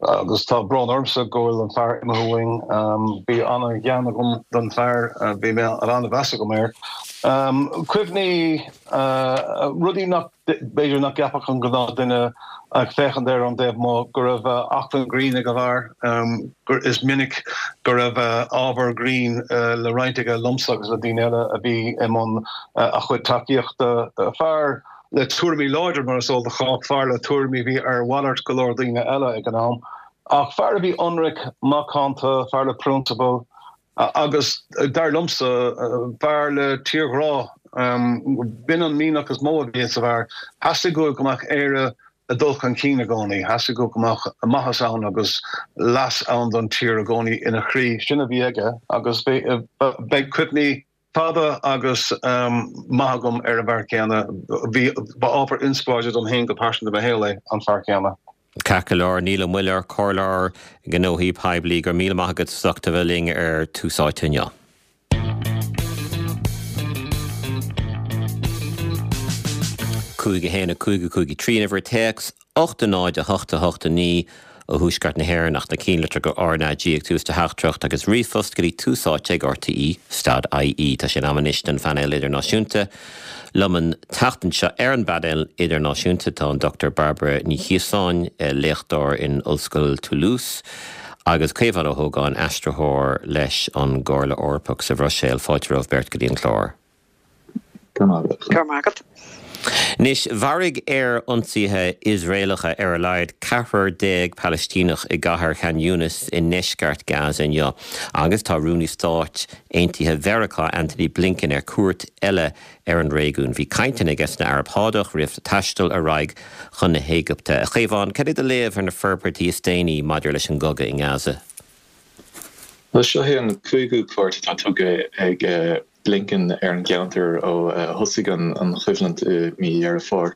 S6: agus tá brón ormsa go bhfuil an fear imithe uainn. Bhí an-ghean agam don fear, bhí an-mheas agam air. Cuimhní, rudaí nach, b'fhéidir nach gceapfadh an gnáthdhuine ag féachaint air ón dtaobh amuigh, go raibh acmhainn grinn ag an bhfear, gur, is minic go raibh ábhar grinn le roinnt aige liomsa agus le daoine eile a bhí i mbun a chuid tacaíochta. Fear le tuairimí láidre, mar is eol do chách, fear le tuairimí a bhí ar mhalairt go leor daoine eile ag an am, ach fear a bhí ionraic, macánta, fear le prionsabail agus, dar liomsa, fear le tírghrá. B'in an mianach is mó a bhí sa bhfear. Theastaigh uaidh go mbeadh Éire ag dul chun cinn i gcónaí. Theastaigh uaidh go mbeadh maitheas ann agus leas ann don tír i gcónaí ina chroí. Sin a bhí aige agus beidh cuimhní fada agus maith agam ar an bhfear céanna. Bhí, ba ábhar inspioráide dom féin go pearsanta i mo shaol é, an fear céanna.
S1: Ceart go leor, Niall Ó Muilleoir, Comhairleoir Gnóthaí Poiblí, go raibh míle maith agat as ucht a bheith linn ar Tús Áite inniu. Cúig a haon a cúig a cúig a trí an uimhir téacs, ocht a náid a hocht a hocht a naoi ó thuaisceart na hÉireann ach na cinnlitreacha RnaG ag tús do theachtaireacht agus ríomhphost go dtí Tús Áite ag RTÉ stad IE. Tá sé in am anois don phainéal idirnáisiúnta. Liom an tseachtain seo ar an bpainéal idirnáisiúnta tá an Dochtúir Bairbre Ní Chiosáin, léachtóir in Ollscoil Toulouse, agus Caomhán Ó hÓgáin, aistritheoir leis an gComhairle Eorpach sa Bhruiséil. Fáilte romhaibh beirt go dtí an clár.
S7: Go raibh maith agat.
S1: Anois, mharaigh aer-ionsaithe Iosraelacha ar a laghad ceathrar déag Palaistíneach i gcathair Khan Younis i ndeisceart Gaza inniu agus tá Rúnaí Stáit Aontaithe Mheiriceá Antony Blinken ar cuairt eile ar an réigiún. Bhí cainteanna aige san Araib Shádach roimh taisteal ar aghaidh chun na hÉigipte. A Chaomháin, cad é do léamh ar na forbairtí is déanaí maidir leis an gcogadh i nGaza?
S7: Bhuel, seo é an cúigiú cuairt atá tugtha ag Blinken ar an gceantar ó thosaigh an choimhlint i mí Dheireadh Fómhair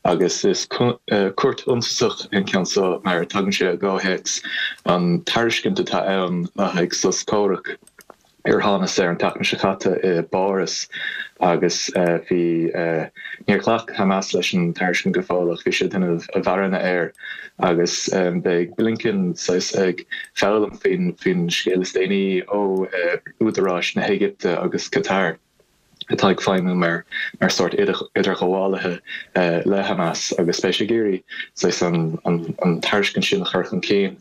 S7: agus is cuairt shuntasach an ceann seo mar tagann sé i gcomhthéacs an tairiscint atá ann le haghaidh sos comhraic ar thánas air an tseachtain seo caite i bPáras agus bhí níor ghlac Hamas leis an tairiscint go fóill ach bhí sé ag déanamh a mharana air agus beidh Blinken saghas ag foghlaim faoin faoin scéal is déanaí ó údaráis na hÉigipte agus Qatar. atá ag feidhmiú mar mar sórt idirghabhálaithe le Hamas agus beidh sé ag iarraidh saghas an an tairiscint sin a chur chun cinn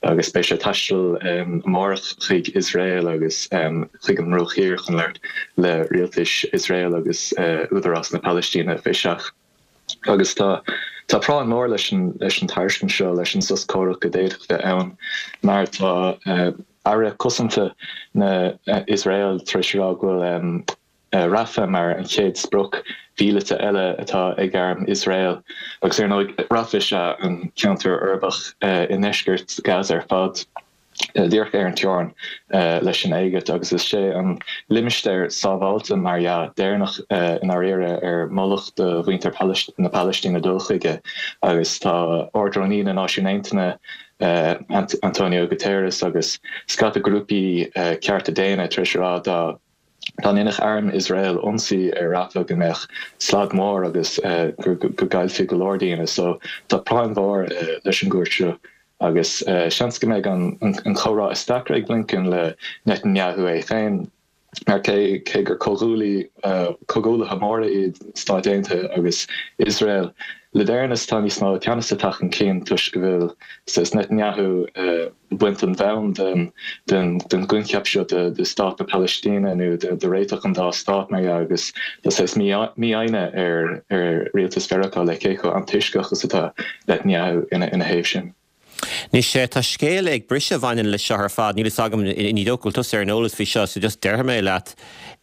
S7: agus beidh sé ag taisteal amárach chuig Iosrael agus chuig an mBruach Thiar chun labhairt le rialtais Iosrael agus Údarás na Palaistíne fé seach. Agus tá tá práinn mhór leis an leis an tairiscint seo, leis an sos comhraic a d'fhéadfadh bheith ann mar tá Aire Cosanta na Iosrael tar éis a rá go bhfuil Rafah mar an chéad sprioc mhíleata eile atá ag arm Iosrael. Agus ar ndóigh Rafah is ea an ceantar uirbeach i ndeisceart Gaza ar fad, díreach ar an teorainn leis an Éigipt agus is é an limistéar sábháilte, mar dhea, deireanach i ndáiríre ar moladh do mhuintir na Palaistíne dul chuige agus tá Ard-Rúnaí na Náisiún Aontaithe, Antonio Guterres agus scata grúpaí cearta daonna tar éis a rá dá dá ndéanfadh arm Iosrael ionsaí ar Rafah go mbeadh slad mór agus go gcaillfí go leor daoine. So tá práinn mhór leis an gcuairt seo agus seans go mbeidh an comhrá is deacra ag Blinken le Netanyahu é féin. Mar cé cé gur comhghuaillí, comhghuaillithe móra iad Stáit Aontaithe agus Iosrael, le deireanas tá níos mó teannas ag teacht chun cinn toisc go bhfuil saghas Netanyahu ag baint an bhonn den den den gcoincheap seo de de stát na Palaistíne nó de de réiteach an dá stát mar dhea agus tá saghas mífhoighne ar ar rialtas Mheiriceá le cé chomh antoisceach is atá Netanyahu ina ina thaobh sin.
S1: Anois, tá scéal ag briseadh a bhaineann leis seo ar fad. Níl fhios agam, ní dócha go bhfuil tusa ar an eolas faoi seo, so just déarfaidh mé leat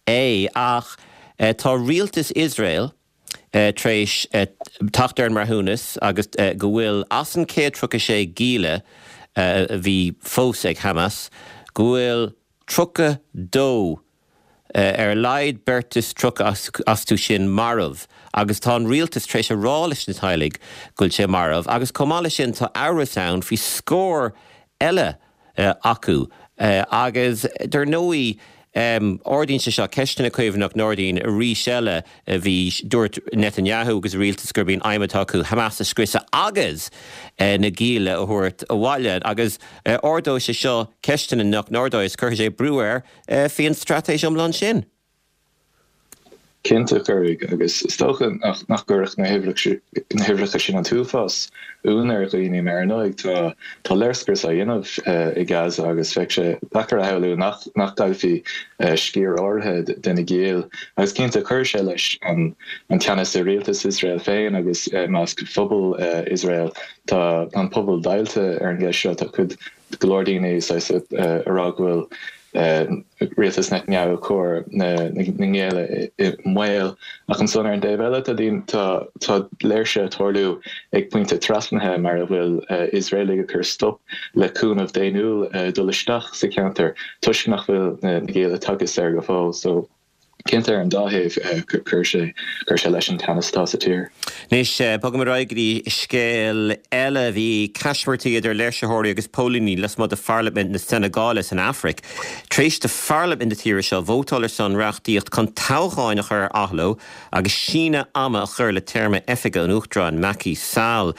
S1: é. Ach tá rialtas Iosrael tar éis teacht ar an mbreithiúnas agus go bhfuil, as an céad tríocha sé gialla a bhí fós ag Hamas, go bhfuil tríocha dó ar a laghad beirt is tríocha astu sin marbh agus tá an rialtas tar éis a rá leis na teaghlaigh go bhfuil sé marbh agus chomh maith leis sin tá amhras ann faoi scór eile acu agus dar ndóigh ardaíonn sé seo ceisteanna Caomhán nach n-ardaíonn arís eile bhí dúirt Netanyahu agus a rialtas gurb í an aidhm atá acu Hamas a scriosadh agus na gialla a thabhairt abhaile agus ardóidh sé seo ceisteanna nach n-ardóidh is cuirfidh sé brú air faoin straitéis iomlán sin.
S7: Cinnte, cuirfidh, agus is dócha nach gcuirfeadh na huimhreacha sin an t-uafás ionadh ar dhaoine, mar ar ndóigh tá tá léirscrios á dhéanamh i Gaza agus bheadh sé deacair a shamhlú nach nach gcaillfí sciar áirithe de na giall. Agus cinnte cuirfidh sé leis an teannas i rialtas Iosrael féin agus i measc phobal Iosrael. Tá an pobal deighilte ar an gceist seo, tá cuid go leor daoine saghas ag rá go bhfuil rialtas Netanyahu ag cur na ngialla i mbaol. Ach ansan ar an dtaobh eile tá daoine, tá tá léirsithe ag tarlú ag pointe trasnaithe mar a bhfuil Iosraelaigh ag cur stop le cúnamh daonnúil dul isteach sa cheantar toisc nach bhfuil na gialla tagtha saor go fóill. So. Cinnte, ar an dá thaobh, chuir sé chuir sé leis an teannas atá sa tír.
S1: Anois, bogaim ar aghaidh go dtí scéal eile. Bhí caismirtí idir léirsitheoirí agus póilíní lasmuigh de pharlaimint na Seineagáile san Afraic tar éis do pharlaimint na tíre seo vótáil ar son reachtaíocht chun toghcháin a chur ar athló agus síneadh ama a chur le téarma oifige an Uachtaráin Macky Sall.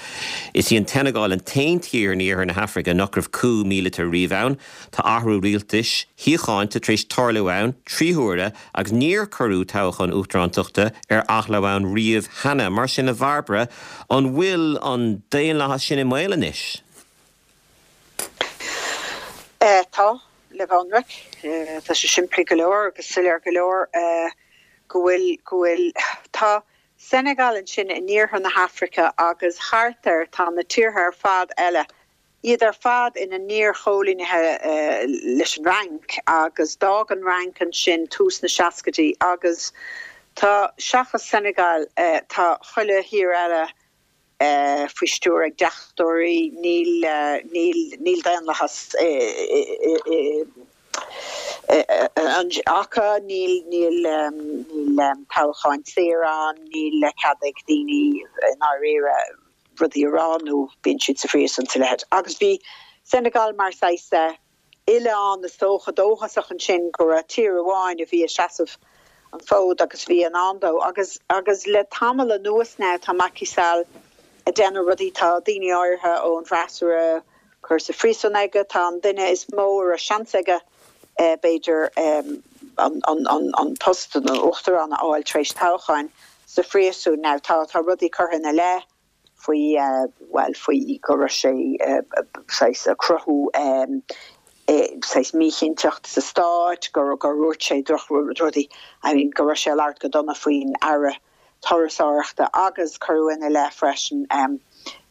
S1: Is í an tSeineagáil an t-aon tír in iarthar na hAfraice nach raibh coup míleata riamh ann. Tá athrú rialtais shíochánta tar éis tarlú ann trí huaire agus níor cuireadh toghchán uachtarántachta ar athló ann riamh cheana. Mar sin, a Bhairbre, an bhfuil an daonlathas sin i mbaol anois?
S8: Tá, le bheith ionraic. Tá sé simplí go leor agus soiléir go leor go bhfuil, go bhfuil, tá Senegal ansin in iarthar na hAfraice agus thart air tá na tíortha ar fad eile, iad ar fad ina n-iarchoilínithe leis an Fhrainc agus d'fhág an Fhrainc ansin tús na seascaidí agus tá, seachas Senegal, tá chuile thír eile faoi stiúir ag deachtóirí, níl, níl, níl daonlathas acu, níl, níl, níl toghcháin saor ann, níl cead ag daoine i ndáiríre rudaí a rá nó bíonn siad sa phríosún is a leithéid. Agus bhí Senegal mar saghas oileán is dócha dóchasach ansin go raibh tír amháin a bhí ag seasamh an fód agus bhí in ann dó. Agus agus le tamall anuas now tá Macky Sall ag déanamh rudaí, tá daoine áirithe ón bhfreasúra curtha sa phríosún aige, tá an duine is mó a raibh seans aige b'fhéidir an an an an post an uachtaráin a fháil tar éis toghcháin sa phríosún now. Tá tá rudaí curtha ina leith faoi bhuel faoi go raibh sé saghas ag cruthú saghas míchinnteacht sa stát, gur gur dhúirt sé drochrudaí, I mean go raibh sé ag labhairt go dona faoin Aire Turasóireachta agus cuireadh ina leith freisin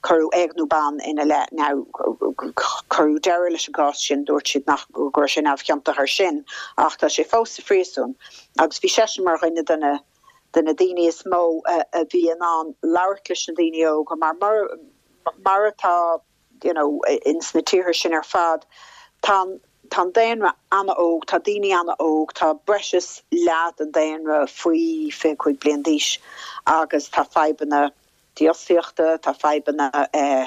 S8: cuireadh éigniú ban ina leith. Now cuireadh deireadh leis an gcás sin, dúirt siad nach go raibh sé neamhchiontach ar sin ach tá sé fós sa phríosún agus bhí seisean mar dhuine de na de na daoine is mó a bhí in ann labhairt leis na daoine óga mar mar atá you know ins na tíortha sin ar fad tá tá an daonra an-óg, tá daoine an-óg, tá breis is leath den daonra faoi fiche cúig bliain d'aois agus tá fadhbanna dífhostaíochta, tá fadhbanna eh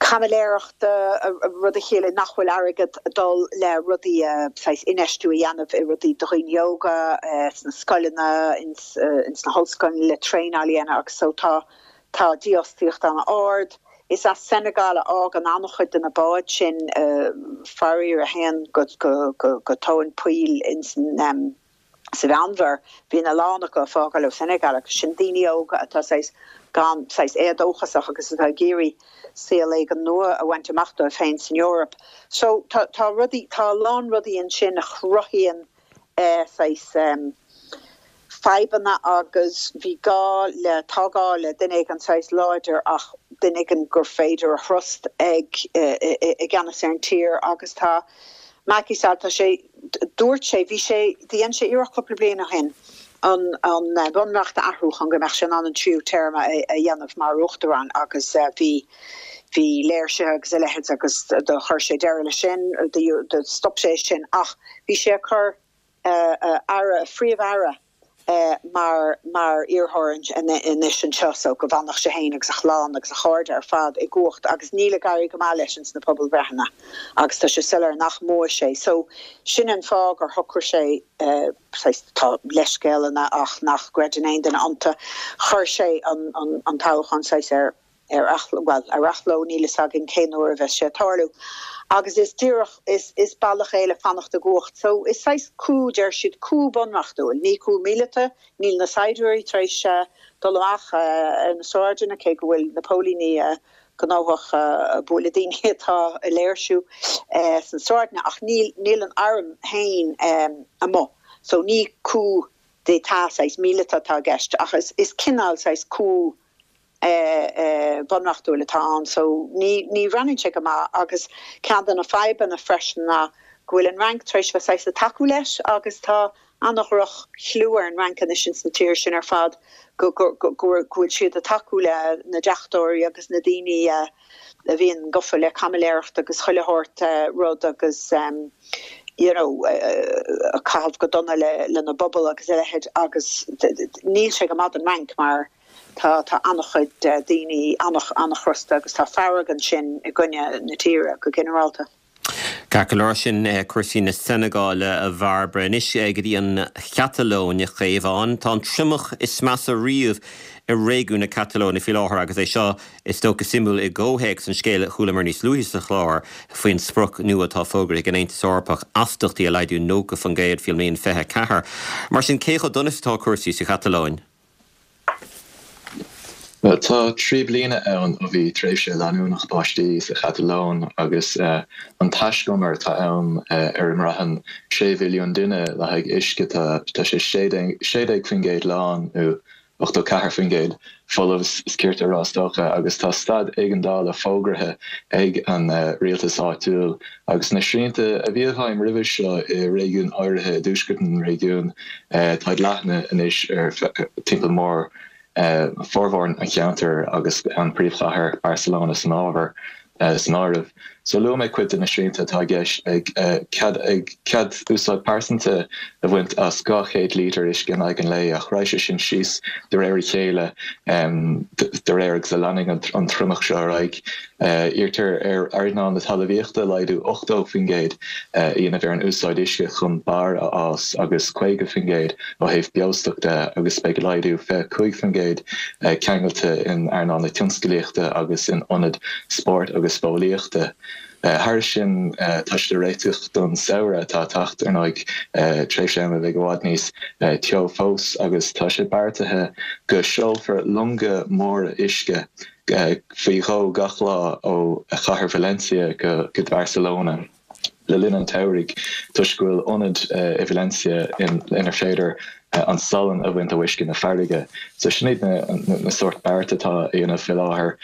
S8: caimiléireachta, rud a chiallaíonn nach bhfuil airgead ag dul le rudaí saghas infheistiú a dhéanamh i rudaí do dhaoine óga sna scoileanna, ins na hollscoileanna le traenáil a dhéanamh agus so tá tá dífhostaíocht an-ard. Is as Senegal a fhágann an-chuid de na báid sin faraor a théann go go go tóin poill ins an sa Mheánmhuir, bíonn a lán acu ag fágáil ó Senegal agus sin daoine óga atá saghas gan saghas éadóchasach agus atá ag iarraidh saol éigin nua a bhaint amach dóibh féin san Eoraip. So tá tá rudaí tá a lán rudaí ansin a chruthaíonn eh saghas em fadhbanna agus bhí gá le tá gá le duine éigin saghas láidir ach duine éigin gur féidir a thrust ag i gceannas ar an tír agus tá Macky Sall, tá sé, dúirt sé, bhí sé, dhein sé iarracht cúpla bliain ó shin an an bunreacht a athrú chun go mbeadh sé in ann an tríú téarma a dhéanamh mar uachtarán agus bhí bhí léirsithe agus a leithéid agus do chuir sé deireadh leis sin, do stop sé sin ach bhí sé ag cur aire, phríomh-aire mar mar iarrthóir anois anseo so go bhfanfadh sé féin agus a chlann agus a chairde ar fad i gcumhacht agus níl ag éirí go maith leis ins na pobalbhreitheanna agus tá sé soiléir nach mbuafaidh sé. So sin an fáth gur shocraigh sé saghas tá leithscéalanna ach nach gcreideann aon duine iontu, chuir sé an an an toghchán saghas ar ar athló, bhuel, ar athló, níl fhios againn cén uair a bheas sé ag tarlú. Agus is díreach, is, is bealach é le fanacht i gcumhacht. So, is saghas coup, deir siad, coup bunreachtúil, ní coup míleata, níl na saighdiúirí tar éis dul amach ar na sráideanna, cé go bhfuil na póilíní gnóthach ag bualadh daoine atá ag léirsiú sna sráideanna, ach níl, níl an arm féin amuigh. So, ní coup d'état saghas míleata atá i gceist, ach is, is cineál saghas coup bunreachtúil atá ann so ní ní bhreathnaíonn sé go maith agus ceann de na fadhbanna freisin ná go bhfuil an Fhrainc tar éis bheith saghas ag tacú leis agus tá an-dhroch-chlú ar an Fhrainc anois ins na tíortha sin ar fad go go go go bhfuil siad ag tacú le na deachtóirí agus na daoine a bhíonn gafa le caimiléireacht agus chuile shórt rud agus you know ag caitheamh go dona le lena bpobal agus a leithéid agus níl sé go maith don Fhrainc mar tá tá an-chuid daoine an-chrosta agus tá fearg ansin i gcoinne na tíre go ginearálta.
S1: Ceart go leor sin cúrsaí na Seineagáile a Bhairbre. Anois go dtí an Chatalóin a Chaomháin. Tá an triomach is measa riamh i réigiún na Catalóine faoi láthair agus é seo is dócha suimiúil i gcomhthéacs an scéil a chualamar níos luaithe sa chlár faoin sprioc nua atá fógartha ag an Aontas Eorpach astachtaí a laghdú nócha faoin gcéad faoin mbliain fiche a ceathair. Mar sin cé chomh dona is atá cúrsaí sa Chatalóin?
S7: Bhuel, tá trí bliana ann ó bhí tréimhse leanúnach báistí sa Chatalóin agus an taiscumar atá ann ar a mbraitheann sé mhilliún duine le haghaidh uisce, tá sé sé déag faoin gcéad lán nó ochtó ceathair faoin gcéad folamh is cirte a rá is dócha, agus tá staid éigeandála fógartha ag an rialtas áitiúil agus na srianta a bhí i bhfeidhm roimhe seo i réigiúin áirithe i dtuaisceart an réigiúin, táid leathnaithe anois ar timpeall mór formhór an cheantair agus an príomhchathair Barcelona san ábhar. san áireamh. So luaigh mé cuid de na srianta atá i gceist, beidh cead ag cead úsáid pearsanta a bhaint as dhá chéad lítear uisce in aghaidh an lae ach raghaidh sé sin síos de réir a chéile de réir agus a leanfaidh an triomach seo ar aghaidh. Iarrtar ar earnáil na talmhaíochta laghdú ochtó faoin gcéad a dhéanamh ar an úsáid uisce chun barr a fhás agus caoga faoin gcéad ó thaobh beostoc de agus beidh laghdú fiche cúig faoin gcéad ceangailte in earnáil na tionsclaíochta agus in ionaid spóirt agus fóillíochta. Thairis sin, tá siad ag réiteach don samhradh atá ag teacht, ar ndóigh, tréimhse ama a bheidh i bhfad níos teo fós, agus tá sé beartaithe go seolfar longa móra uisce faoi dhó gach lá ó chathair Valencia go Barcelona. le linn an tsamhraidh toisc go bhfuil ionad i Valencia inar féidir an salann a bhaint ó uisce na farraige. So sin iad na sórt beart atá á dhéanamh faoi láthair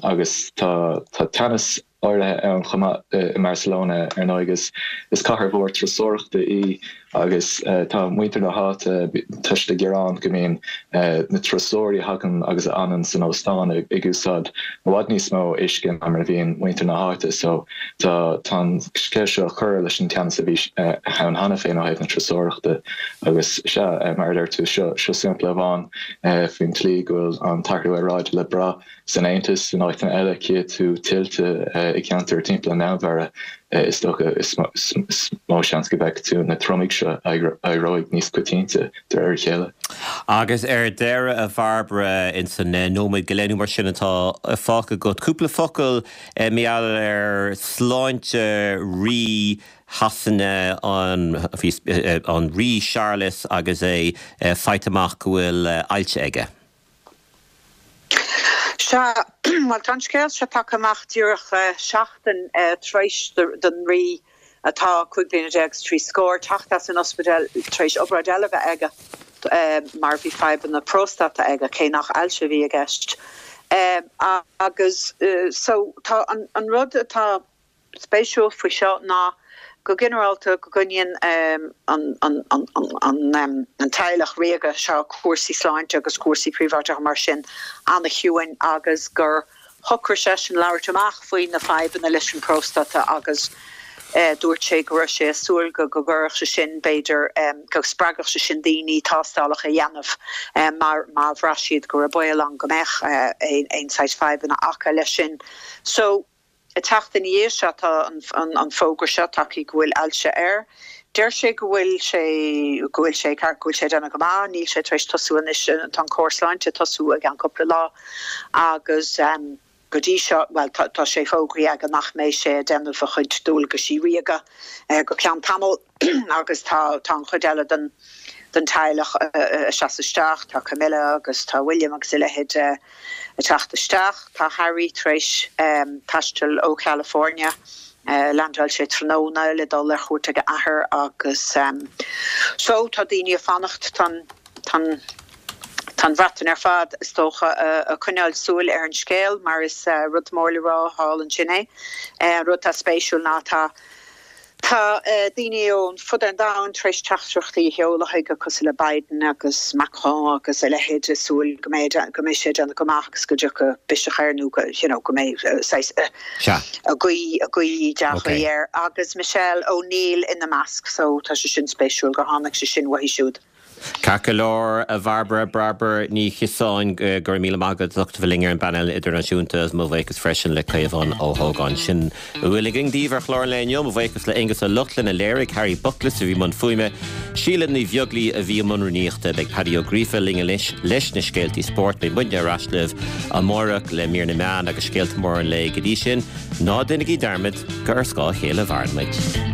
S7: agus tá teannas áirithe ann chomh maith i mBarcelona ar ndóigh. Is cathair mhór turasóireachta í Agus tá muintir na háite, tá siad ag gearán go mbíonn na turasóirí a thagann agus a fhanann san óstán ag úsáid i bhfad níos mó uisce ná mar a bhíonn muintir na háite. So tá tá an scéal seo ag cur leis an teannas a bhí ann cheana féin ó thaobh na turasóireachta. Agus sea, mar a deir tú, seo seo sampla amháin faoin tslí go bhfuil an t-athrú aeráide le brath san Aontas, in áiteanna eile, cífidh tú tuilte i gceantair timpeall an Mheánmhara. Is dócha is mó seans go bhfeicfidh tú na triomaigh seo a éireoidh níos coitianta de réir a chéile.
S1: Agus ar deireadh, a Bhairbre, ins an nóiméad go leith nó mar sin atá fágtha agat, cúpla focal mar gheall ar sláinte Rí Shasana, an Rí Séarlas agus é faighte amach go bhfuil ailse aige.
S8: Sea, bhuel, tá an scéal seo tagtha amach díreach seachtain tar éis don Rí, atá cúig bliana déag is trí scór, teacht as an ospidéal tar éis obráid eile a bheith aige mar bhí fadhbanna próstata aige, cé nach ailse a bhí i gceist. Agus so tá an rud atá spéisiúil faoi seo ná go ginearálta go gcoinníonn an teaghlach ríoga seo cúrsaí sláinte agus cúrsaí príobháideacha mar sin an-chiúin agus gur shocraigh seisean labhairt amach faoi na fadhbanna leis an bpróstata agus dúirt sé go raibh sé ag súil go gcuirfeadh sé sin, b'fhéidir, go spreagfadh sé sin daoine tástálacha a dhéanamh mar má bhraith siad go raibh baol ann go mbeadh aon saghas fadhbanna acu leis sin. So. Ag teacht ina dhiaidh seo tá an fógra seo tagtha go bhfuil ailse air. Deir sé go bhfuil sé go bhfuil sé ceart, go bhfuil sé ag déanamh go maith, níl sé tar éis tosú anois, tá an cóir sláinte ag tosú i gceann cúpla lá agus go dtí seo, bhuel tá sé fógraithe aige nach mbeidh sé ag déanamh a chuid dualgaisí ríoga go ceann tamaill agus tá tá an chuid eile den den teaghlach ag seasamh isteach, tá Camilla agus tá William agus a leithéid ag teacht isteach. Tá Harry tar éis taisteal ó California, leaindeáil sé tráthnóna le dul ar chuairt ag a athair agus so tá daoine ag fanacht, tá an tá an Bhreatain ar fad is dócha ag coinneáil súil ar an scéal mar is rud mór le rá thall ansin é. An rud atá spéisiúil ná tá Tá daoine ón fud an domhain tar éis teachtaireachtaí a sheoladh chuige cosúil le Biden agus Macron agus a leithéid ag súil go mbeidh go mbeidh sé ag déanamh go maith agus go dtiocfaidh biseach air nó go you know go mbeidh saghas a guí a guí dea-ghuí air agus Michelle O'Neill ina measc so tá sé sin spéisiúil gur tháinig sé sin uaithi siúd.
S1: Ceart go leor, a Bhairbre, Bairbre Ní Chiosáin, go raibh míle maith agat as ucht a bheith linn ar an bpainéal idirnáisiúnta agus mo bhuíochas freisin le Caomhán Ó hÓgáin. Sin a bhfuil againn daoibh ar chlár an lae inniu. Mo bhuíochas le Aonghus Ó Lochlainn a léirigh, Harry Buckless a bhí i mbun fuaime, Síle Ní Bheaglaoi a bhí i mbun rúnaíochta. Beidh Paddy Ó Gríofa linn anois leis na scéaltaí spóirt. Beidh muidne ar ais libh amárach le mír na meán agus scéalta móra an lae. Go dtí sin, ná déanaigí dearmad gur ar scáth a chéile a mhaireann muid.